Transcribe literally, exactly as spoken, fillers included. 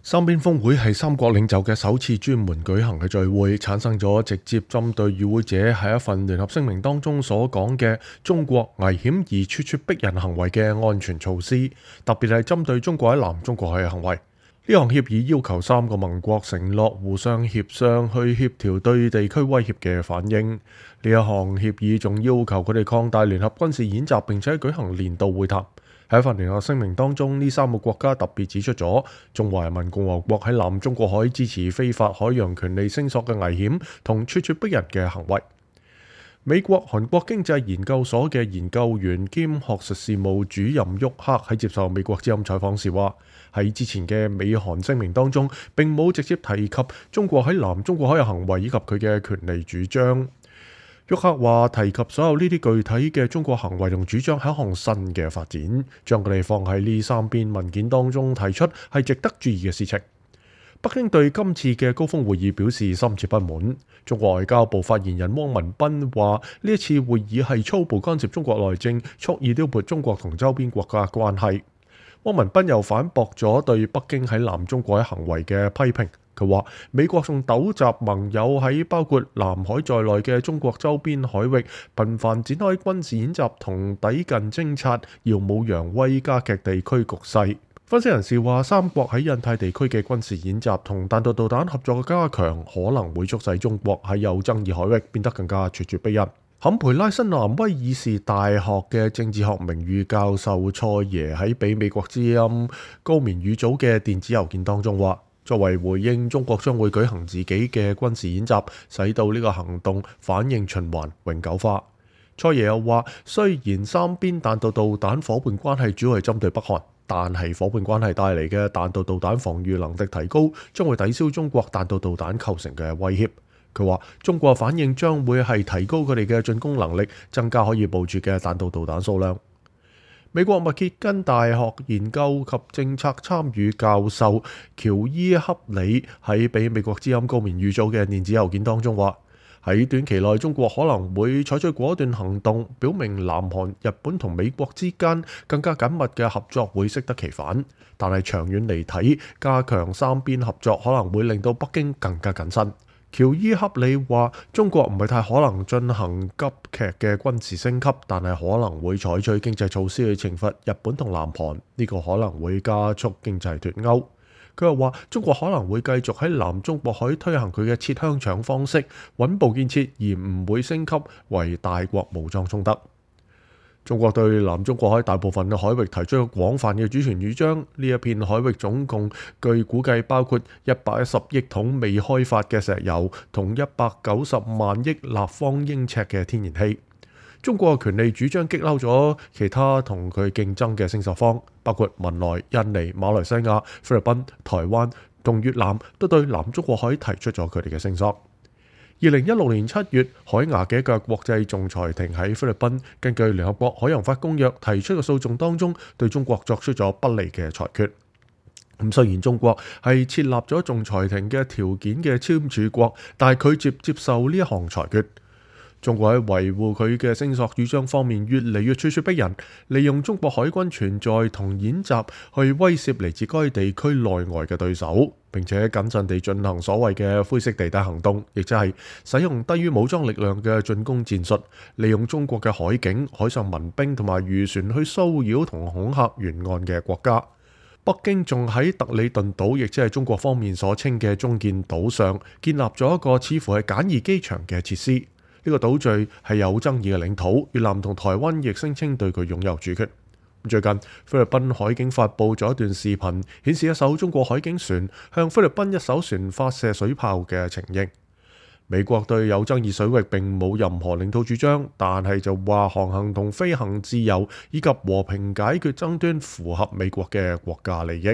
三邊峰會係三國領袖嘅首次專門舉行嘅聚會，產生咗直接針對與會者喺一份聯合聲明當中所講嘅中國危險而咄咄逼人行為嘅安全措施，特別係針對中國喺南中國海嘅行為。呢項協議要求三個盟國承諾互相協商去協調對地區威脅嘅反應。呢一項協議仲要求佢哋擴大聯合軍事演習，並且舉行年度會談。喺一份聯合聲明當中，呢三個國家特別指出咗中華人民共和國喺南中國海支持非法海洋權利聲索嘅危險同咄咄逼人嘅行為。美國韓國經濟研究所嘅研究員兼學術事務主任沃克喺接受美國之音採訪時話，喺之前嘅美韓聲明當中並冇直接提及中國喺南中國海嘅行為以及佢嘅權利主張。沃克話，提及所有呢啲具體嘅中國行為同主張係一項新嘅發展，將佢哋放喺呢三篇文件當中提出係值得注意嘅事情。北京對今次嘅高峰會議表示深切不滿。中國外交部發言人汪文斌話，呢一次會議係粗暴干涉中國內政，蓄意撩撥中國同周邊國家關係。汪文斌又反駁咗對北京喺南中國海行為嘅批評。佢話美國仲糾集盟友喺包括南海在內嘅中國周邊海域頻繁展開軍事演習同抵近偵察，耀武揚威，加劇地區局勢。分析人士話，三國喺印太地區嘅軍事演習同彈道導彈合作嘅加強，可能會促使中國喺有爭議海域變得更加咄咄逼人。坎培拉新南威爾士大學嘅政治學名譽教授蔡耶喺俾美國之音高棉語組嘅電子郵件當中話，作為回應，中國將會舉行自己嘅軍事演習，使到呢個行動反應循環永久化。蔡耶又話，雖然三邊彈道導彈夥伴關係主要係針對北韓，但係夥伴關係帶嚟嘅彈道導彈防禦能力提高，將會抵消中國彈道導彈構成嘅威脅。佢話，中國反應將會係提高佢哋嘅進攻能力，增加可以部署嘅彈道導彈數量。美國密歇根大學研究及政策參與教授喬伊克里喺俾美國之音高棉語組嘅電子郵件當中話，喺短期內中國可能會採取果斷行動，表明南韓、日本同美國之間更加緊密嘅合作會適得其反，但係長遠嚟睇，加強三邊合作可能會令到北京更加謹慎。喬伊克里話，中國唔係太可能進行急劇嘅軍事升級，但係可能會採取經濟措施去懲罰日本同南韓，呢個可能會加速經濟脫鈎。佢又話，中國可能會繼續喺南中國海推行佢嘅切香腸方式，穩步建設，而唔會升級為大國武裝衝突。中國對南中國海大部分嘅海域提出咗廣泛嘅主權主張，呢一片海域總共據估計包括一百一十億桶未開發嘅石油同一百九十萬億立方英尺嘅天然氣。中國嘅權利主張激嬲咗其他同佢競爭嘅聲索方，包括文萊、印尼、馬來西亞、菲律賓、台灣同越南，都對南中國海提出咗佢哋嘅聲索。二零一六年七月，海牙嘅一個國際仲裁庭喺菲律賓根據聯合國海洋法公約提出嘅訴訟當中，對中國作出咗不利嘅裁決。咁雖然中國係設立咗仲裁庭嘅條件嘅簽署國，但係拒絕接受呢一項裁決。中國喺維護佢嘅聲索主張方面越嚟越咄咄逼人，利用中國海軍存在同演習去威懾嚟自該地區內外嘅對手，並且謹慎地進行所謂嘅灰色地帶行動，亦即係使用低於武裝力量嘅進攻戰術，利用中國嘅海警、海上民兵同埋漁船去騷擾同恐嚇沿岸嘅國家。北京仲喺特里頓島，亦即係中國方面所稱嘅中建島上，建立咗一個似乎係簡易機場嘅設施。呢個島嶼係有爭議嘅領土，越南同台灣亦聲稱對佢擁有主權。最近菲律賓海警發布咗一段視頻，顯示一艘中國海警船向菲律賓一艘船發射水炮嘅情形。美國對有爭議水域並冇任何領土主張，但係就話航行同飛行自由以及和平解決爭端符合美國嘅國家利益。